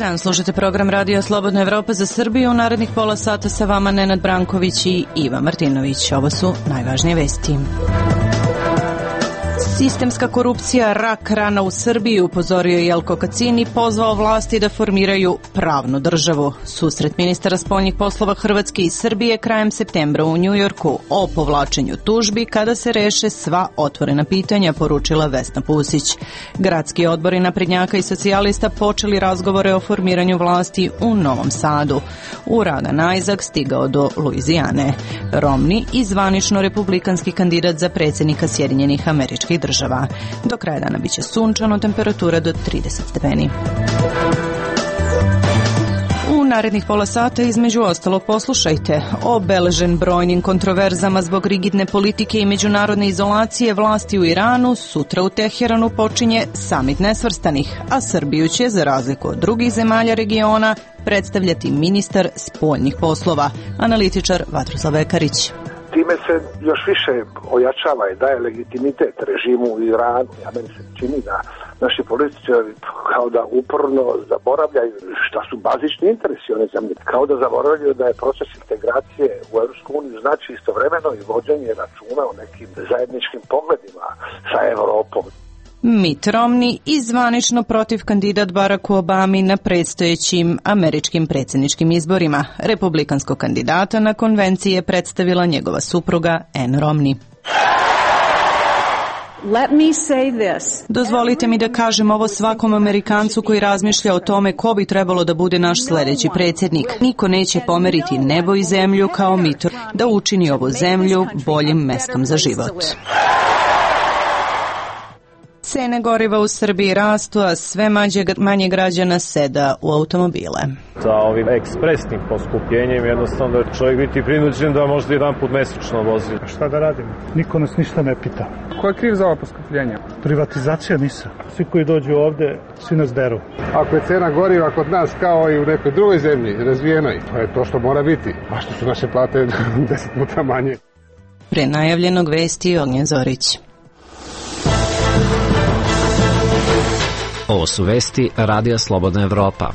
dan, slušate program Radio Slobodna Evropa za Srbiju. U narednih pola sata sa vama Nenad Branković i Iva Martinović. Ovo su najvažnije vesti. Sistemska korupcija rak rana u Srbiji, upozorio Jelko Kacin i pozvao vlasti da formiraju pravnu državu. Susret ministara spoljnih poslova Hrvatske i Srbije krajem septembra u Njujorku o povlačenju tužbi kada se reše sva otvorena pitanja, poručila Vesna Pusić. Gradski odbori naprednjaka i socijalista počeli razgovore o formiranju vlasti u Novom Sadu. U Radan Isaac stigao do Luizijane. Romney i zvanično republikanski kandidat za predsjednika Sjedinjenih Američkih Država. Do kraja dana biće sunčano, temperatura do 30 stepeni. U narednih pola sata između ostalog poslušajte: obeležen brojnim kontroverzama zbog rigidne politike i međunarodne izolacije vlasti u Iranu, sutra u Teheranu počinje samit nesvrstanih, a Srbiju će, za razliku od drugih zemalja regiona, predstavljati ministar spoljnih poslova, analitičar Vatroslav Vekarić. Time se još više ojačava i daje legitimitet režimu u Iranu. Ja meni se čini da naši političari kao da uporno zaboravljaju šta su bazični interesi one zemlje. Kao da zaboravljaju da je proces integracije u EU znači istovremeno i vođenje računa o nekim zajedničkim pogledima sa Evropom. Mitt Romney i zvanično protiv kandidat Baracku Obami na predstojećim američkim predsjedničkim izborima. Republikanskog kandidata na konvenciji je predstavila njegova supruga Ann Romney. Dozvolite mi da kažem ovo svakom Amerikancu koji razmišlja o tome ko bi trebalo da bude naš sljedeći predsjednik. Niko neće pomeriti nebo i zemlju kao Mitt da učini ovu zemlju boljim mestom za život. Cene goriva u Srbiji rastu, a sve manje građana seda u automobile. Sa ovim ekspresnim poskupljenjem jednostavno da čovjek biti prinuđen da možda jedan put mesečno vozi. A šta da radimo? Niko nas ništa ne pita. Ko je kriv za ovo poskupljenje? Privatizacija NIS-a. Svi koji dođu ovde, svi nas deru. Ako je cena goriva kod nas kao i u nekoj drugoj zemlji, razvijenoj, to je to što mora biti. A što su naše plate 10 puta manje. Pre najavljenog vesti Ognjen Zorić. Ovo su vesti Radija Slobodna Evropa.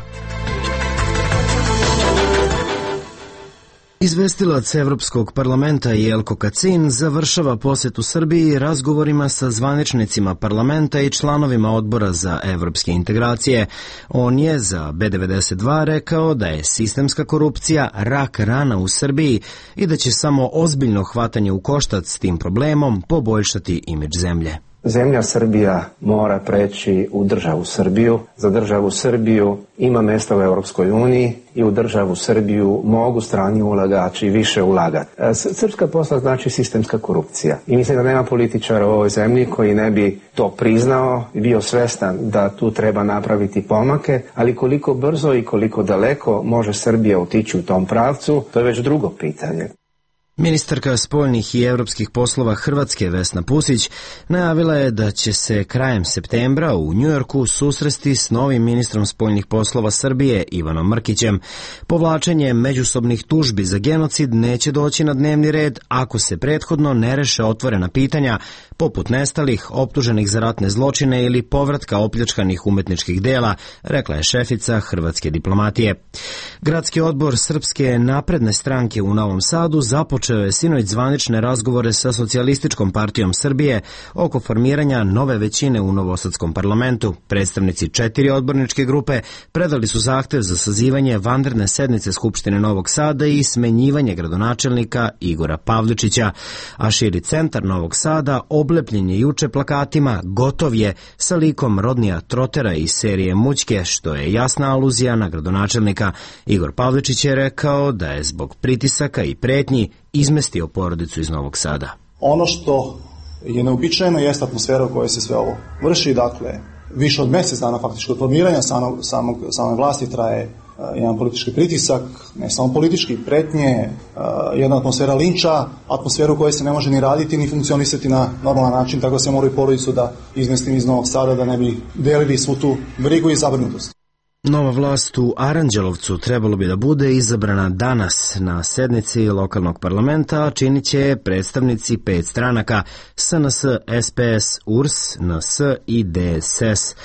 Izvestilac Evropskog parlamenta Jelko Kacin završava posjet u Srbiji razgovorima sa zvaničnicima parlamenta i članovima odbora za evropske integracije. On je za B92 rekao da je sistemska korupcija rak rana u Srbiji i da će samo ozbiljno hvatanje u koštac s tim problemom poboljšati imidž zemlje. Zemlja Srbija mora preći u državu Srbiju. Za državu Srbiju ima mjesta u Europskoj uniji i u državu Srbiju mogu strani ulagači više ulagati. Srpska posla znači sistemska korupcija. I mislim da nema političara u ovoj zemlji koji ne bi to priznao i bio svestan da tu treba napraviti pomake, ali koliko brzo i koliko daleko može Srbija otići u tom pravcu, to je već drugo pitanje. Ministarka spoljnih i evropskih poslova Hrvatske Vesna Pusić najavila je da će se krajem septembra u Njujorku susresti s novim ministrom spoljnih poslova Srbije Ivanom Mrkićem. Povlačenje međusobnih tužbi za genocid neće doći na dnevni red ako se prethodno ne reše otvorena pitanja poput nestalih, optuženih za ratne zločine ili povratka opljačkanih umetničkih dela, rekla je šefica hrvatske diplomatije. Gradski odbor Srpske napredne stranke u Novom Sadu započeo je sinoć zvanične razgovore sa Socijalističkom partijom Srbije oko formiranja nove većine u Novosadskom parlamentu. Predstavnici 4 odborničke grupe predali su zahtev za sazivanje vanredne sednice Skupštine Novog Sada i smenjivanje gradonačelnika Igora Pavličića, a širi centar Novog Sada oblepljen je juče plakatima "Gotov je" sa likom Rodnija Trotera iz serije Mućke, što je jasna aluzija na gradonačelnika. Igor Pavličić je rekao da je zbog pritisaka i pretnji izmestio porodicu iz Novog Sada. Ono što je neobičajeno jeste atmosfera u kojoj se sve ovo vrši, dakle, više od mjesec dana faktički od formiranja same vlasti traje jedan politički pritisak, ne samo politički, pretnje, jedna atmosfera linča, atmosfera u kojoj se ne može ni raditi ni funkcionisati na normalan način, tako da se moraju porodicu da izmestim iz Novog Sada da ne bi delili svu tu brigu i zabrinutost. Nova vlast u Aranđelovcu trebalo bi da bude izabrana danas na sednici lokalnog parlamenta, a činit će predstavnici 5 stranaka: SNS, SPS, URS, NS i DSS.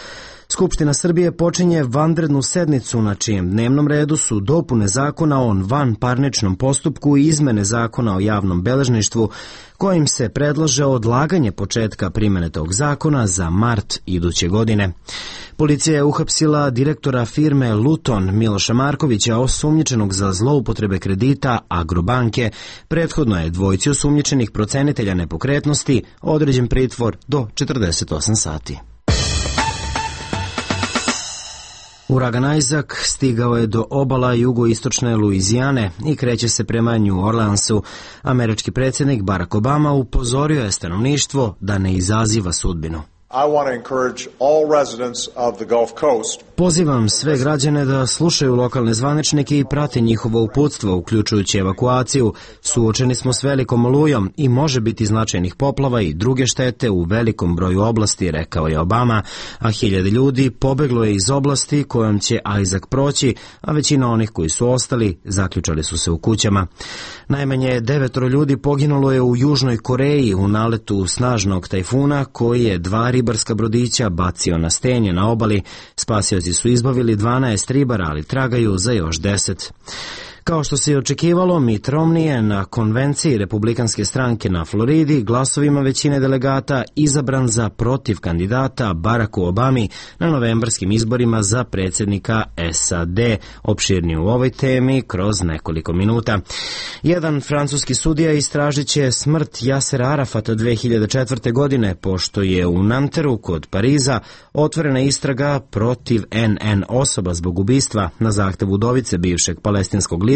Skupština Srbije počinje vanrednu sednicu na čijem dnevnom redu su dopune zakona o vanparničnom postupku i izmene zakona o javnom beležništvu, kojim se predlaže odlaganje početka primjene tog zakona za mart iduće godine. Policija je uhapsila direktora firme Luton Miloša Markovića, osumnjičenog za zloupotrebe kredita Agrobanke. Prethodno je dvojici osumnjičenih procenitelja nepokretnosti određen pritvor do 48 sati. Uragan Isaac stigao je do obala jugoistočne Luizijane i kreće se prema New Orleansu. Američki predsjednik Barack Obama upozorio je stanovništvo da ne izaziva sudbinu. Pozivam sve građane da slušaju lokalne zvaničnike i prate njihovo uputstvo, uključujući evakuaciju. Suočeni smo s velikom olujom i može biti značajnih poplava i druge štete u velikom broju oblasti, rekao je Obama, a hiljade ljudi pobeglo je iz oblasti kojom će Isaac proći, a većina onih koji su ostali zaključali su se u kućama. Najmanje 9 ljudi poginulo je u Južnoj Koreji u naletu snažnog tajfuna koji je 2 ribarska brodića bacio na stenje na obali. Spasioci su izbavili 12 ribara, ali tragaju za još 10. Kao što se i očekivalo, Mitt Romney je na konvenciji Republikanske stranke na Floridi glasovima većine delegata izabran za protiv kandidata Baracku Obami na novembarskim izborima za predsjednika SAD. Opširnije u ovoj temi kroz nekoliko minuta. Jedan francuski sudija istražit će smrt Jasera Arafata 2004. godine, pošto je u Nanteru kod Pariza otvorena istraga protiv NN osoba zbog ubistva na zahtev udovice bivšeg palestinskog lidera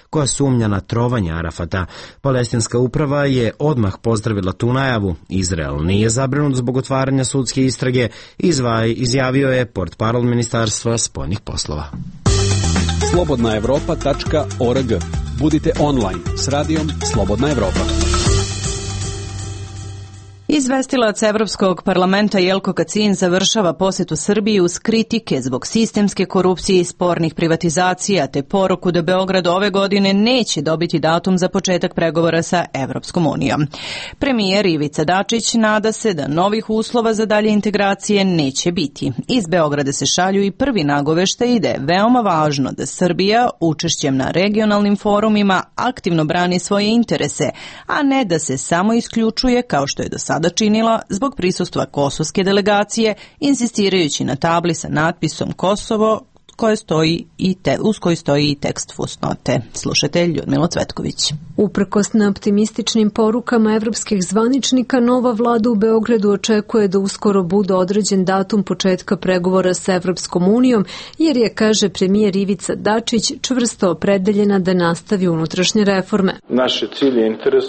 koja sumnja na trovanje Arafata. Palestinska uprava je odmah pozdravila tu najavu. Izrael nije zabrinut zbog otvaranja sudske istrage, izjavio je portparol Ministarstva spoljnih poslova. slobodnaevropa.org. Budite online s radijom Slobodna Evropa. Izvestilac Evropskog parlamenta Jelko Kacin završava posjetu Srbiji uz kritike zbog sistemske korupcije i spornih privatizacija, te poruku da Beograd ove godine neće dobiti datum za početak pregovora sa Evropskom unijom. Premijer Ivica Dačić nada se da novih uslova za dalje integracije neće biti. Iz Beograda se šalju i prvi nagoveštaji da je veoma važno da Srbija učešćem na regionalnim forumima aktivno brani svoje interese, a ne da se samo isključuje kao što je do sada činila zbog prisustva kosovske delegacije, insistirajući na tabli sa natpisom Kosovo uz koji stoji i tekst fusnote. Slušatelj Ljudmila Cvetković. Uprkos na optimističnim porukama evropskih zvaničnika, nova vlada u Beogradu očekuje da uskoro bude određen datum početka pregovora sa Evropskom unijom, jer je, kaže premijer Ivica Dačić, čvrsto opredeljena da nastavi unutrašnje reforme. Naš je cilj i interes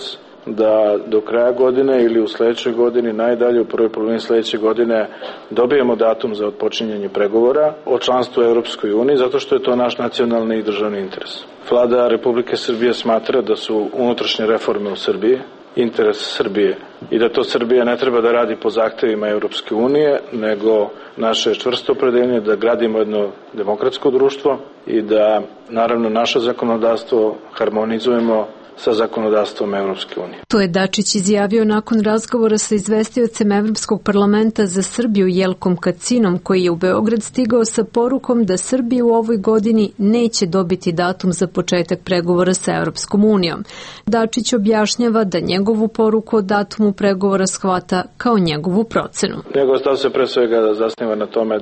da do kraja godine ili u sledećoj godini, najdalje u prvoj polovini sledeće godine, dobijemo datum za otpočinjanje pregovora o članstvu u Evropskoj uniji, zato što je to naš nacionalni i državni interes. Vlada Republike Srbije smatra da su unutrašnje reforme u Srbiji interes Srbije i da to Srbija ne treba da radi po zahtevima Evropske unije, nego naše čvrsto opredeljenje da gradimo jedno demokratsko društvo i da, naravno, naše zakonodavstvo harmonizujemo sa zakonodavstvom Evropske unije. To je Dačić izjavio nakon razgovora sa izvestiocem Evropskog parlamenta za Srbiju Jelkom Kacinom, koji je u Beograd stigao sa porukom da Srbija u ovoj godini neće dobiti datum za početak pregovora sa Evropskom unijom. Dačić objašnjava da njegovu poruku o datumu pregovora shvata kao njegovu procenu. Njegov stav se pre svega zasniva na tome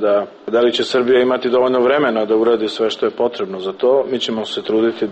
da li će Srbija imati dovoljno vremena da uradi sve što je potrebno za to. Mi ćemo se truditi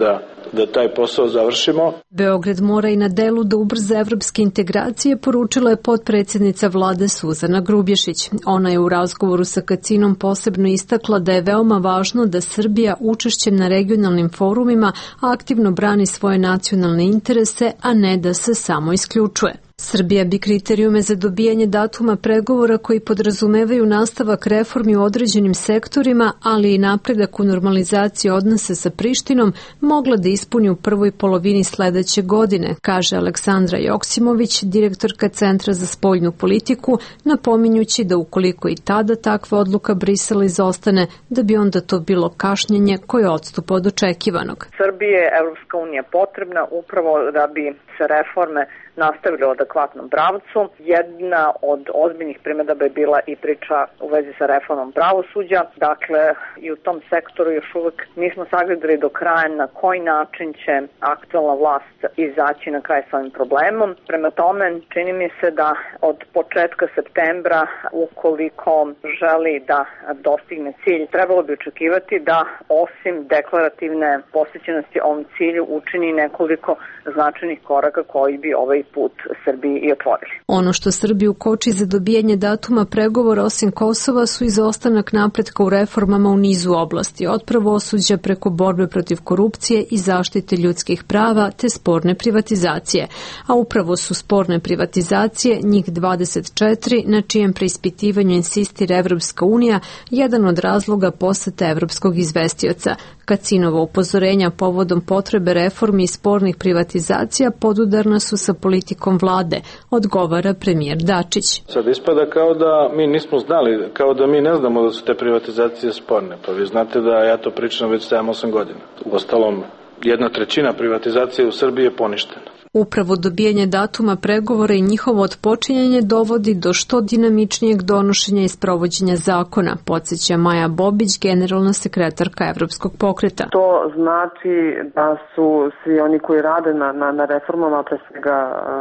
da taj posao završimo. Beograd mora i na delu da ubrza evropske integracije, poručila je potpredsjednica vlade Suzana Grubješić. Ona je u razgovoru sa Kacinom posebno istakla da je veoma važno da Srbija učešćem na regionalnim forumima aktivno brani svoje nacionalne interese, a ne da se samo isključuje. Srbija bi kriterijume za dobijanje datuma pregovora koji podrazumevaju nastavak reformi u određenim sektorima, ali i napredak u normalizaciji odnosa sa Prištinom, mogla da ispuni u prvoj polovini sledeće godine, kaže Aleksandra Joksimović, direktorka Centra za spoljnu politiku, napominjući da ukoliko i tada takva odluka Brisela izostane, da bi onda to bilo kašnjenje koje odstupa od očekivanog. Srbije je Evropska unija potrebna upravo da bi se reforme nastavili u adekvatnom pravcu. Jedna od ozbiljnih primedaba je bila i priča u vezi sa reformom pravosuđa. Dakle, i u tom sektoru još uvek nismo sagledali do kraja na koji način će aktualna vlast izaći na kraj sa ovim problemom. Prema tome, čini mi se da od početka septembra, ukoliko želi da dostigne cilj, trebalo bi očekivati da osim deklarativne posvećenosti ovom cilju učini nekoliko značajnih koraka koji bi ovaj put Srbiji i otvorili. Ono što Srbiju koči za dobijanje datuma pregovora osim Kosova su izostanak napretka u reformama u nizu oblasti, od pravosuđa preko borbe protiv korupcije i zaštite ljudskih prava te sporne privatizacije. A upravo su sporne privatizacije, njih 24, na čijem preispitivanju insistira Evropska unija, jedan od razloga posete evropskog izvestioca. Kacinova upozorenja povodom potrebe reformi i spornih privatizacija podudarna su sa politikom vlade, odgovara premijer Dačić. Sad ispada kao da mi nismo znali, kao da mi ne znamo da su te privatizacije sporne. Pa vi znate da ja to pričam već 7-8 godina. Uostalom, 1/3 privatizacije u Srbiji je poništena. Upravo dobijanje datuma pregovora i njihovo otpočinjanje dovodi do što dinamičnijeg donošenja i sprovođenja zakona, podsjeća Maja Bobić, generalna sekretarka Evropskog pokreta. To znači da su svi oni koji rade na reformama, pre svega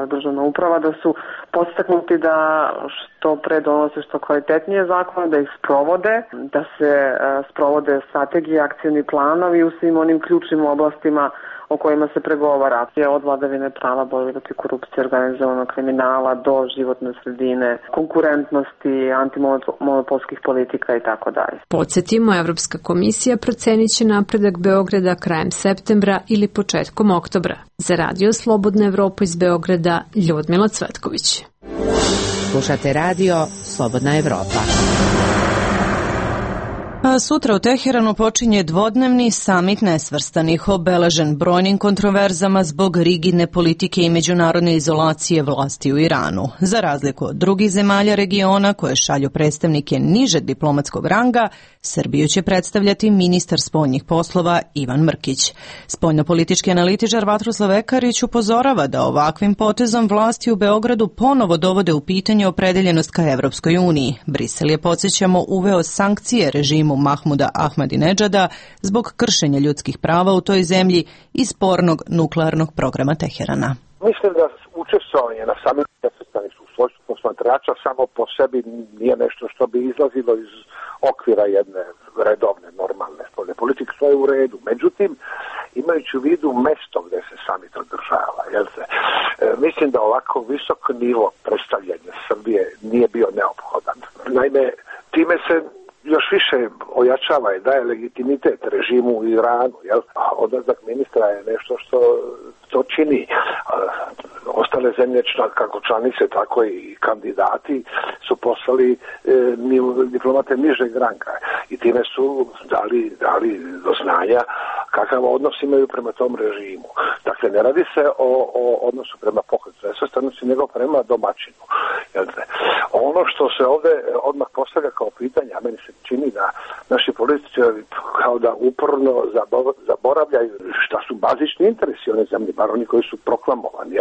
državna uprava, da su podstaknuti da što pre donose što kvalitetnije zakone, da ih sprovode, da se sprovode strategije, akcioni planovi u svim onim ključnim oblastima o kojima se pregovara, od vladavine prava, borbe protiv korupcije, organizovanog kriminala do životne sredine, konkurentnosti, antimonopolskih politika i tako dalje. Podsjetimo, Evropska komisija procenit će napredak Beograda krajem septembra ili početkom oktobra. Za Radio Slobodna Evropa iz Beograda, Ljudmila Cvetković. Slušate Radio Slobodna Evropa. A sutra u Teheranu počinje dvodnevni samit nesvrstanih, obeležen brojnim kontroverzama zbog rigidne politike i međunarodne izolacije vlasti u Iranu. Za razliku od drugih zemalja regiona koje šalju predstavnike nižeg diplomatskog ranga, Srbiju će predstavljati ministar spoljnih poslova Ivan Mrkić. Spoljnopolitički analitičar Vatroslav Ekarić upozorava da ovakvim potezom vlasti u Beogradu ponovo dovode u pitanje opredeljenost ka Evropskoj uniji. Brisel je, podsjećamo, uveo sankcije režimu Mahmuda Ahmadinedžada zbog kršenja ljudskih prava u toj zemlji i spornog nuklearnog programa Teherana. Mislim da učestvovanje na samitu nesvrstanih u svojstvu posmatrača samo po sebi nije nešto što bi izlazilo iz okvira jedne redovne, normalne spoljne politike, što je u redu. Međutim, imajući u vidu mesto gde se samit održava, mislim da ovako visok nivo predstavljanja Srbije nije bio neophodan. Naime, time se još više ojačava i daje legitimitet režimu u Iranu, a odlazak ministra je nešto što to čini. Ostale zemlje, kako članice, tako i kandidati, su poslali diplomate nižeg ranga i time su dali do znanja kakav odnos imaju prema tom režimu. Dakle, ne radi se o odnosu prema pokretu nesvrstanosti, nego prema domaćinu. Ono što se ovde odmah postavlja kao pitanje, a meni se čini da naši političari kao da uporno zaboravljaju šta su bazični interesi one zemlje, bar oni koji su proklamovani,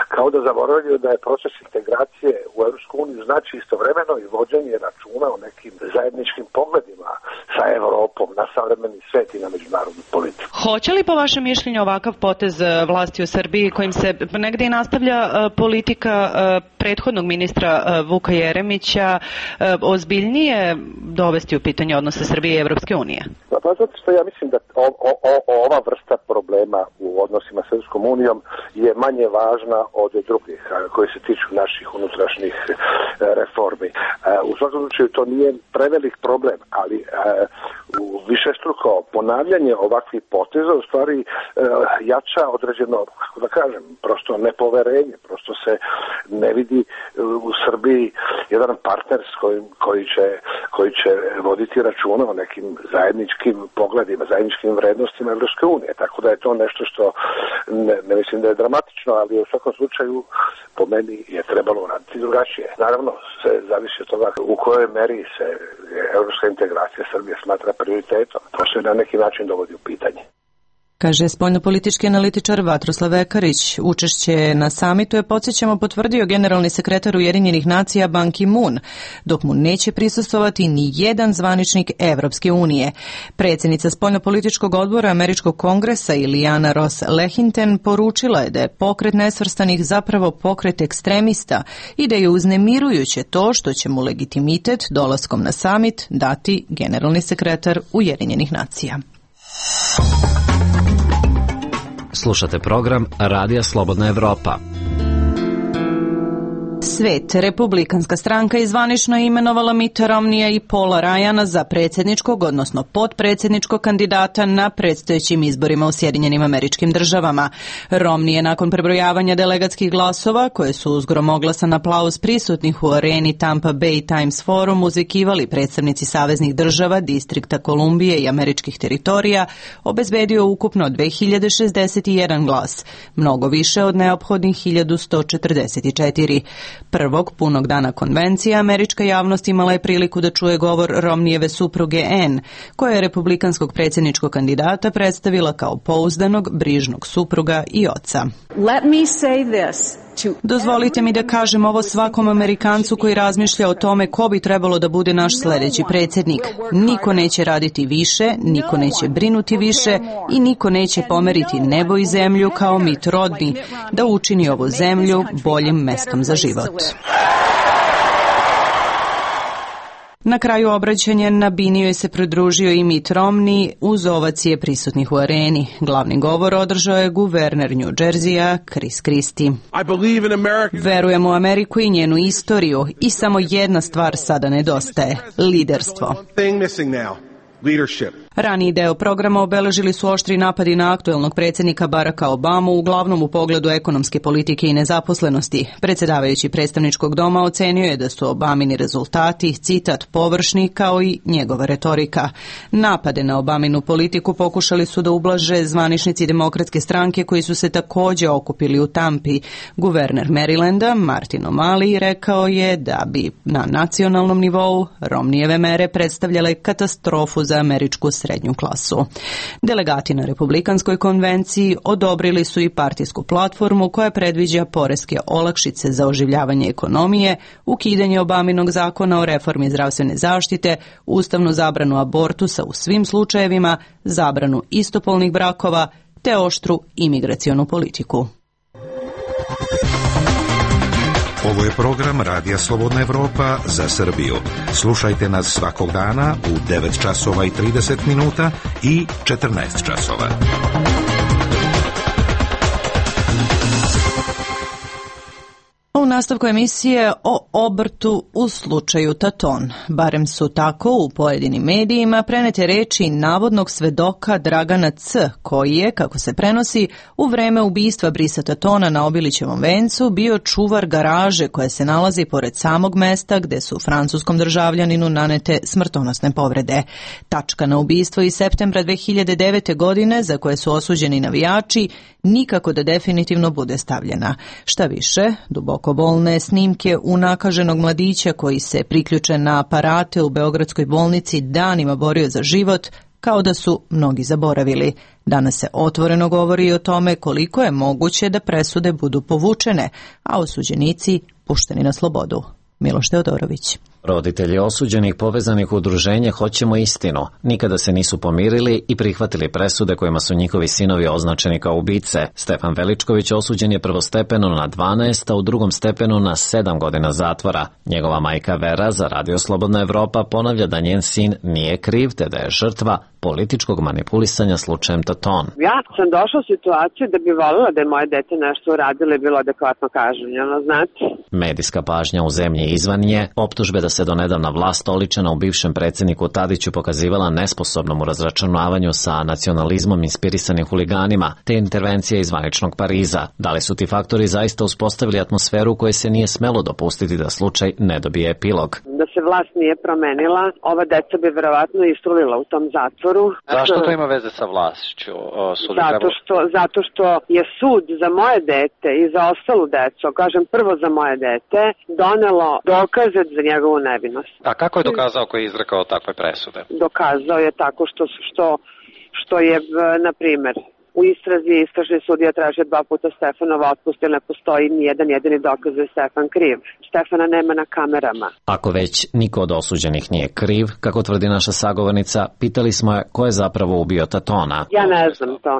kao da zaboravljaju da je proces integracije u Evropsku uniju znači istovremeno i vođenje računa o nekim zajedničkim pogledima sa Evropom na savremeni svet i na međunarodnu politiku. Hoće li po vašem mišljenju ovakav potez vlasti u Srbiji, kojim se negde i nastavlja politika prethodnog ministra Vuka Jeremića, ozbiljnije dovesti u pitanje odnose Srbije i Evropske unije? Pa zato što ja mislim da ova vrsta problema u odnosima s Evropskom unijom je manje važna od drugih koji se tiču naših unutrašnjih reformi. U svakom slučaju to nije prevelik problem, ali u višestruko ponavljanje ovakvih poteza u stvari jača određeno, kako da kažem, prosto nepoverenje, prosto se ne vidi u Srbiji jedan partner s koji će voditi računa o nekim zajedničkim pogledima, zajedničkim vrednostima Evropske unije. Tako da je to nešto što ne mislim da je dramatično, ali u svakom slučaju po meni je trebalo raditi drugačije. Naravno, se zavisi od toga u kojoj meri se evropska integracija Srbije smatra prioritetom. To se na neki način dovodi u pitanje. Kaže spoljnopolitički analitičar Vatroslav Ekarić. Učešće na samitu je, podsjećamo, potvrdio generalni sekretar Ujedinjenih nacija Ban Ki-moon, dok mu neće prisustvovati ni jedan zvaničnik Evropske unije. Predsjednica spoljnopolitičkog odbora Američkog kongresa Iliana Ross Lehinten poručila je da je pokret nesvrstanih zapravo pokret ekstremista i da je uznemirujuće to što će mu legitimitet dolaskom na samit dati generalni sekretar Ujedinjenih nacija. Slušate program Radija Slobodna Evropa. Svet, republikanska stranka izvanično je imenovala Mitta Romneya i Paula Ryana za predsjedničkog, odnosno potpredsjedničkog kandidata na predstojećim izborima u Sjedinjenim Američkim Državama. Romney je nakon prebrojavanja delegatskih glasova, koje su uz gromoglasan aplauz prisutnih u areni Tampa Bay Times Forum uzvikivali predstavnici saveznih država, Distrikta Kolumbije i američkih teritorija, obezbedio ukupno 2061 glas, mnogo više od neophodnih 1144. Prvog punog dana konvencije američka javnost imala je priliku da čuje govor Romneyjeve supruge Anne, koja je republikanskog predsjedničkog kandidata predstavila kao pouzdanog, brižnog supruga i oca. Let me say this. Dozvolite mi da kažem ovo svakom Amerikancu koji razmišlja o tome ko bi trebalo da bude naš sljedeći predsjednik. Niko neće raditi više, niko neće brinuti više i niko neće pomeriti nebo i zemlju kao Mitt Romney da učini ovu zemlju boljim mestom za život. Na kraju obraćanja na bini joj se pridružio i Mitt Romney uz ovacije prisutnih u areni. Glavni govor održao je guverner New Jerseya Chris Christie. Verujem u Ameriku i njenu istoriju i samo jedna stvar sada nedostaje – liderstvo. Raniji deo programa obeležili su oštri napadi na aktuelnog predsjednika Baracka Obamu, uglavnom u pogledu ekonomske politike i nezaposlenosti. Predsjedavajući predstavničkog doma ocenio je da su Obamini rezultati, citat, površni kao i njegova retorika. Napade na Obaminu politiku pokušali su da ublaže zvaničnici demokratske stranke koji su se također okupili u Tampi. Guverner Marylanda, Martin O'Malley, rekao je da bi na nacionalnom nivou Romneyjeve mere predstavljale katastrofu za američku srednju klasu. Delegati na Republikanskoj konvenciji odobrili su i partijsku platformu koja predviđa poreske olakšice za oživljavanje ekonomije, ukidanje Obaminog zakona o reformi zdravstvene zaštite, ustavnu zabranu abortusa u svim slučajevima, zabranu istopolnih brakova te oštru imigracionu politiku. Ovo je program Radija Slobodna Evropa za Srbiju. Slušajte nas svakog dana u 9 časova i 30 minuta i 14 časova. U nastavku emisije o obrtu u slučaju Taton. Barem su tako u pojedinim medijima prenete reči navodnog svedoka Dragana C, koji je, kako se prenosi, u vreme ubistva Brisa Tatona na Obilićevom vencu bio čuvar garaže koja se nalazi pored samog mesta gde su francuskom državljaninu nanete smrtonosne povrede. Tačka na ubistvo iz septembra 2009. godine, za koje su osuđeni navijači, nikako da definitivno bude stavljena. Šta više, duboko bolne snimke unakaženog mladića koji se priključen na aparate u beogradskoj bolnici danima borio za život, kao da su mnogi zaboravili. Danas se otvoreno govori o tome koliko je moguće da presude budu povučene, a osuđenici pušteni na slobodu. Miloš Teodorović. Roditelji osuđenih povezanih u udruženje Hoćemo istinu nikada se nisu pomirili i prihvatili presude kojima su njihovi sinovi označeni kao ubice. Stefan Veličković osuđen je prvostepeno na 12, a u drugom stepenu na 7 godina zatvora. Njegova majka Vera za Radio Slobodna Evropa ponavlja da njen sin nije kriv, te da je žrtva političkog manipulisanja slučajem Taton. Ja sam došla u situaciju da bi voljela da je moje dete nešto uradilo i bilo adekvatno kažnjeno, znate. Medijska pažnja u zemlji izvan nje, optužbe da se donedavna vlast oličena u bivšem predsjedniku Tadiću pokazivala nesposobnom u razračunavanju sa nacionalizmom inspirisanim huliganima, te intervencija iz zvaničnog Pariza. Da li su ti faktori zaista uspostavili atmosferu u kojoj se nije smelo dopustiti da slučaj ne dobije epilog? Da se vlast nije promenila, ova deca bi verovatno istrulila u tom zatvoru. Zašto to ima veze sa vlašću? Zato što je sud za moje dete i za ostalu decu, kažem prvo za moje dete, donelo dokaze za njegovu nevinost. A kako je dokazao koji je izrekao takve presude? Dokazao je tako što je, na primjer, u istrazi istražni sudija tražio 2 puta Stefanova otpust, jer ne postoji ni jedan jedini dokaz da je Stefan kriv. Stefana nema na kamerama. Ako već niko od osuđenih nije kriv, kako tvrdi naša sagovornica, pitali smo je ko je zapravo ubio Tatona. Ja ne znam to,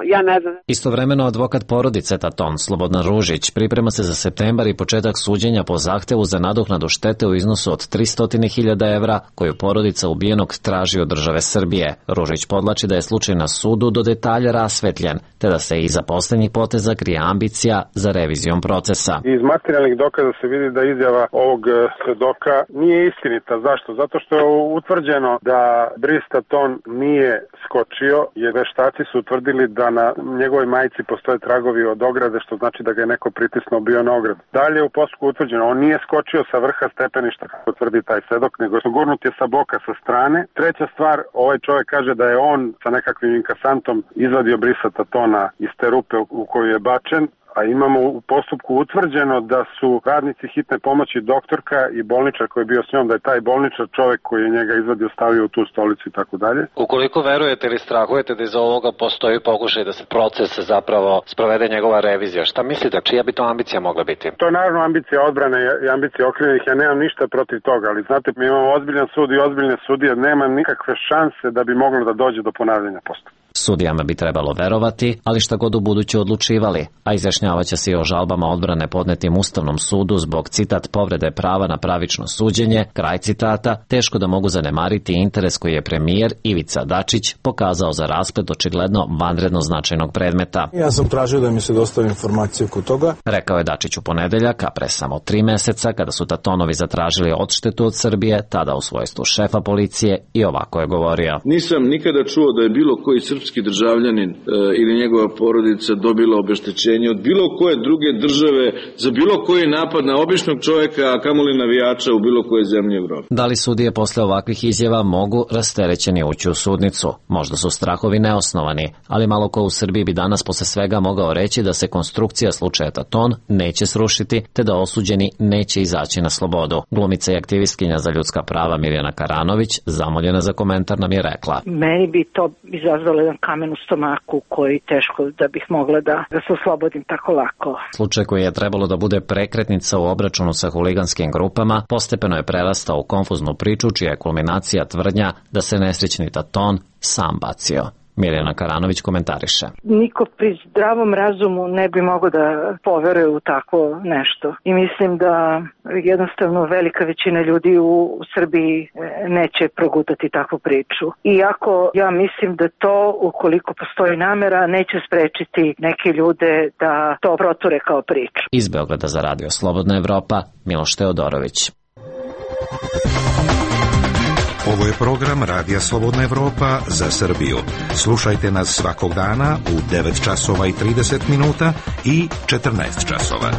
Istovremeno advokat porodice Taton, Slobodan Ružić, priprema se za septembar i početak suđenja po zahtevu za nadoknadu štete u iznosu od 300.000 evra koju porodica ubijenog traži od države Srbije. Ružić podlači da je slučaj na sudu do detalja rasvetljen, te da se iza poslednjih poteza krije ambicija za revizijom procesa. Iz materijalnih dokaza se vidi da izjava ovog svedoka nije istinita. Zašto? Zato što je utvrđeno da Brice Taton nije skočio, jer veštaci su utvrdili da na njegovoj majici postoje tragovi od ograde, što znači da ga je neko pritisnuo bio na ogradu. Dalje u postupku utvrđeno, on nije skočio sa vrha stepeništa, kako tvrdi taj svedok, nego gurnut je sa boka, sa strane. Treća stvar, ovaj čovjek kaže da je on sa nekakvim inkasantom izvadio Brisa Tatona iz te rupe u koju je bačen, a imamo u postupku utvrđeno da su radnici hitne pomoći, doktorka i bolničar koji je bio s njom, da je taj bolničar čovjek koji je njega izvadio stavio u tu stolicu i tako dalje. Ukoliko verujete ili strahujete da iza ovoga postoji pokušaj da se proces zapravo sprovede njegova revizija, šta mislite, čija bi to ambicija mogla biti? To je naravno ambicija odbrane i ambicija okrivljenih, ja nemam ništa protiv toga, ali znate, mi imamo ozbiljan sud i ozbiljne sudije, nema nikakve šanse da bi moglo da dođe do ponavljanja postupka. Sudijama bi trebalo verovati, ali šta god u buduće odlučivali, a izjašnjavaće se i o žalbama odbrane podnetim Ustavnom sudu zbog, citat, povrede prava na pravično suđenje, kraj citata, teško da mogu zanemariti interes koji je premijer Ivica Dačić pokazao za rasplet očigledno vanredno značajnog predmeta. Ja sam tražio da mi se dostavi informacije oko toga. Rekao je Dačić u ponedeljak, a pre samo 3 meseca, kada su Tatonovi zatražili odštetu od Srbije, tada u svojstvu šefa policije, i ovako je govorio. Nisam nikada čuo da je bilo koji srpski državljanin ili njegova porodica dobila obeštećenje od bilo koje druge države za bilo koji napad na običnog čovjeka, a kamoli navijača u bilo koje zemlje Evrope. Da li sudije posle ovakvih izjava mogu rasterećeni ući u sudnicu? Možda su strahovi neosnovani, ali malo ko u Srbiji bi danas posle svega mogao reći da se konstrukcija slučaja Taton neće srušiti, te da osuđeni neće izaći na slobodu. Glumica i aktivistkinja za ljudska prava Mirjana Karanović, zamoljena za komentar, nam je rekla. Meni bi to izazvalo jedan kamen u stomaku koji teško da bih mogla da se oslobodim tako lako. Slučaj koji je trebalo da bude prekretnica u obračunu sa huliganskim grupama postepeno je prerastao u konfuznu priču čija je kulminacija tvrdnja da se nesrećni Taton sam bacio. Mirjana Karanović komentariše. Niko pri zdravom razumu ne bi mogao da poveruje u takvo nešto. I mislim da jednostavno velika većina ljudi u Srbiji neće progutati takvu priču. Iako ja mislim da to, ukoliko postoji namera, neće sprečiti neke ljude da to proture kao priču. Iz Beograda za Radio Slobodna Evropa, Miloš Teodorović. Ovo je program Radija Slobodna Evropa za Srbiju. Slušajte nas svakog dana u 9 časova i 30 minuta i 14 časova.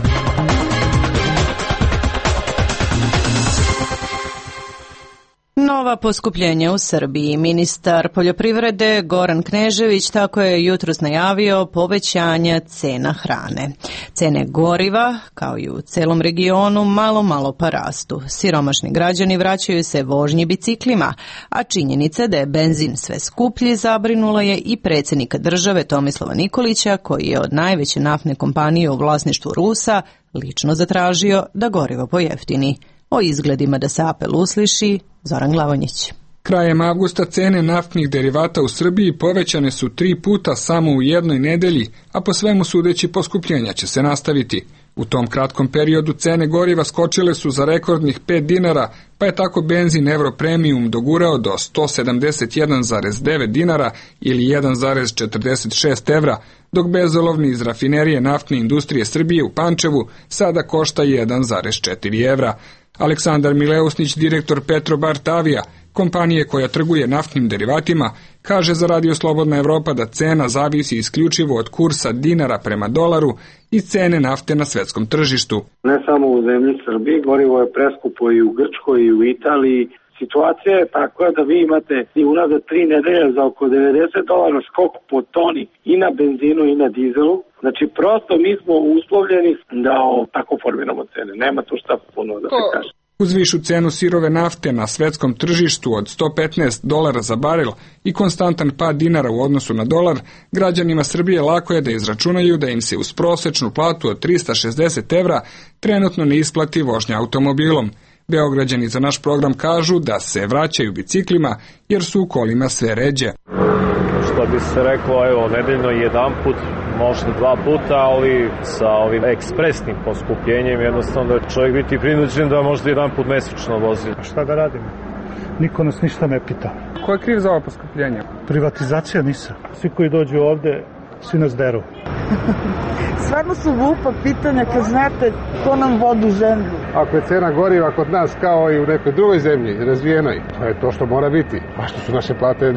Nova poskupljenja u Srbiji. Ministar poljoprivrede Goran Knežević tako je jutros najavio povećanje cena hrane. Cene goriva, kao i u celom regionu, malo pa rastu. Siromašni građani vraćaju se vožnji biciklima, a činjenica da je benzin sve skuplji zabrinula je i predsjednika države Tomislava Nikolića, koji je od najveće naftne kompanije u vlasništvu Rusa lično zatražio da gorivo pojeftini. O izgledima da se apel usliši Zoran Glavonjić. Krajem avgusta cene naftnih derivata u Srbiji povećane su 3 puta samo u jednoj nedelji, a po svemu sudeći poskupljenja će se nastaviti. U tom kratkom periodu cene goriva skočile su za rekordnih 5 dinara, pa je tako benzin Euro Premium dogurao do 171,9 dinara ili 1,46 evra, dok bezolovni iz rafinerije naftne industrije Srbije u Pančevu sada košta 1,4 evra. Aleksandar Mileusnić, direktor Petrobart Avija, kompanije koja trguje naftnim derivatima, kaže za Radio Slobodna Evropa da cena zavisi isključivo od kursa dinara prema dolaru i cene nafte na svetskom tržištu. Ne samo u zemlji Srbiji, gorivo je preskupo i u Grčkoj i u Italiji. Situacija je takva da vi imate i unazad 3 nedelje za oko $90 skok po toni i na benzinu i na dizelu. Znači, prosto mi smo uslovljeni da tako formiramo cene. Nema tu šta puno da se kaže. Uz višu cenu sirove nafte na svetskom tržištu od $115 za barel i konstantan pad dinara u odnosu na dolar, građanima Srbije lako je da izračunaju da im se uz prosečnu platu od 360 evra trenutno ne isplati vožnja automobilom. Beograđani za naš program kažu da se vraćaju biciklima jer su u kolima sve ređe. Što bi se reklo, evo, nedeljno jedan put, možda dva puta, ali sa ovim ekspresnim poskupljenjem jednostavno da čovjek biti prinuđen da možda jedan put mesečno vozi. A šta da radimo? Niko nas ništa ne pita. Ko je kriv za ovo poskupljenje? Privatizacija NIS-a. Svi koji dođu ovde, svi nas deru. Stvarno su glupa pitanja kad znate ko nam vodu zemlju. Ako je cena goriva kod nas kao i u nekoj drugoj zemlji, razvijenoj, to je to što mora biti. A što su naše plate 10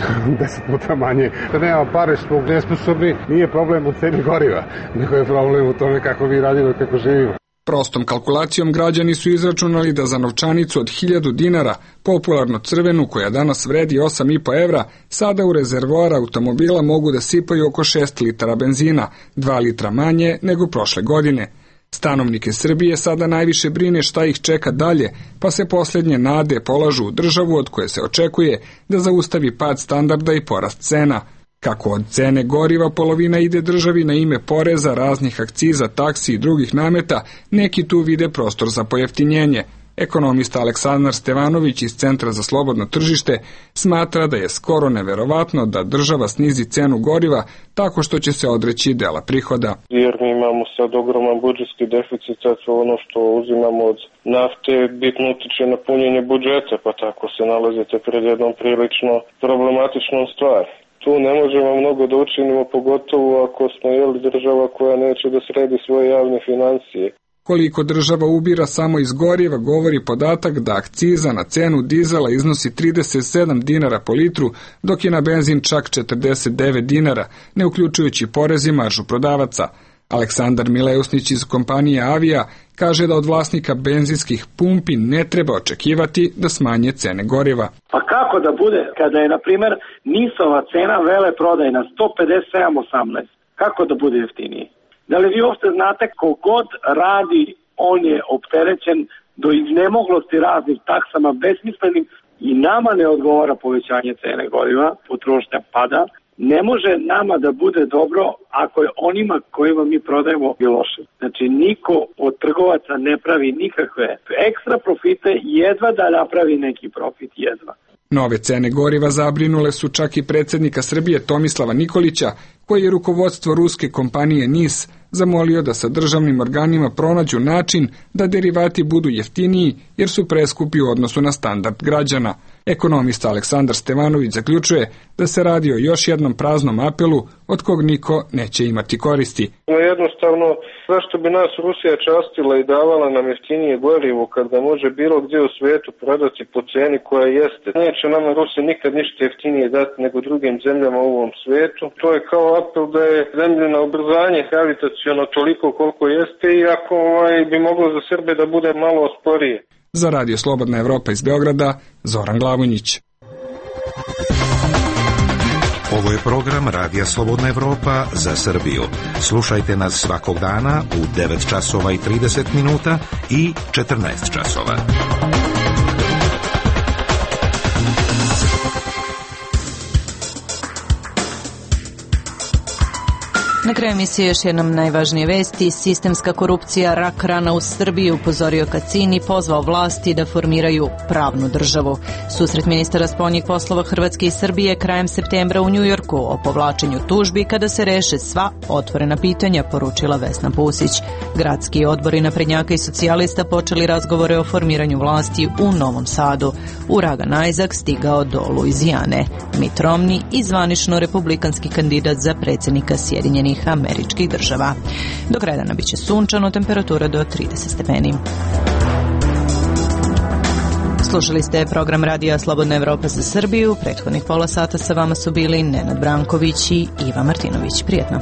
puta manje. Da nema pare, smo nesposobni, nije problem u ceni goriva, nego je problem u tome kako vi radimo i kako živimo. Prostom kalkulacijom građani su izračunali da za novčanicu od 1000 dinara, popularno crvenu koja danas vredi 8,5 evra, sada u rezervoar automobila mogu da sipaju oko 6 litara benzina, 2 litra manje nego prošle godine. Stanovnike Srbije sada najviše brine šta ih čeka dalje, pa se posljednje nade polažu u državu od koje se očekuje da zaustavi pad standarda i porast cena. Kako od cene goriva polovina ide državi na ime poreza, raznih akciza, taksi i drugih nameta, neki tu vide prostor za pojeftinjenje. Ekonomista Aleksandar Stevanović iz Centra za slobodno tržište smatra da je skoro neverovatno da država snizi cenu goriva tako što će se odreći dela prihoda. Jer mi imamo sad ogroman budžetski deficit, sad ono što uzimamo od nafte bitno utiče na punjenje budžeta, pa tako se nalazite pred jednom prilično problematičnom stvari. Tu ne možemo mnogo da učinimo, pogotovo ako smo država koja neće da sredi svoje javne financije. Koliko država ubira samo iz goriva govori podatak da akciza na cenu dizela iznosi 37 dinara po litru, dok je na benzin čak 49 dinara, ne uključujući porez i maržu prodavaca. Aleksandar Mileusnić iz kompanije Avija kaže da od vlasnika benzinskih pumpi ne treba očekivati da smanje cene goriva. Pa kako da bude kada je, na primjer, NIS-ova cena veleprodajna 157,18? Kako da bude jeftiniji? Da li vi uopšte znate kogod radi, on je opterećen do iznemoglosti raznim taksama besmislenim i nama ne odgovara povećanje cene goriva, potrošnja pada. Ne može nama da bude dobro ako je onima kojima mi prodajemo i loše. Znači, niko od trgovaca ne pravi nikakve ekstra profite, jedva da napravi neki profit, jedva. Nove cene goriva zabrinule su čak i predsjednika Srbije Tomislava Nikolića, koji je rukovodstvo ruske kompanije NIS zamolio da sa državnim organima pronađu način da derivati budu jeftiniji jer su preskupi u odnosu na standard građana. Ekonomista Aleksandar Stevanović zaključuje da se radi o još jednom praznom apelu od kog niko neće imati koristi. Jednostavno, zašto bi nas Rusija častila i davala nam jeftinije gorivo kad ga može bilo gdje u svijetu prodati po ceni koja jeste? Neće nama Rusija nikad ništa jeftinije dati nego drugim zemljama u ovom svijetu. To je kao apel da je zemljeno ubrzanje gravitaciono toliko koliko jeste i ako bi moglo za Srbe da bude malo sporije. Za Radio Slobodna Evropa iz Beograda, Zoran Glavonjić. Ovo je program Radija Slobodna Evropa za Srbiju. Slušajte nas svakog dana u 9 časova i 30 minuta i 14 časova. Na kraju emisije još jednom najvažnije vesti. Sistemska korupcija, rak rana u Srbiji, upozorio Kacin i pozvao vlasti da formiraju pravnu državu. Susret ministara spoljnih poslova Hrvatske i Srbije krajem septembra u Njujorku o povlačenju tužbi kada se reše sva otvorena pitanja, poručila Vesna Pusić. Gradski odbori naprednjaka i socijalista počeli razgovore o formiranju vlasti u Novom Sadu. Uragan Isaac stigao do Luizijane. Mitt Romney i zvanično republikanski kandidat za predsjednika Sjedinjenih Američkih Država. Do kraja dana biće sunčano, temperatura do 30 stepeni. Slušali ste program Radija Slobodna Evropa za Srbiju. Prethodnih pola sata sa vama su bili Nenad Branković i Iva Martinović. Prijetno.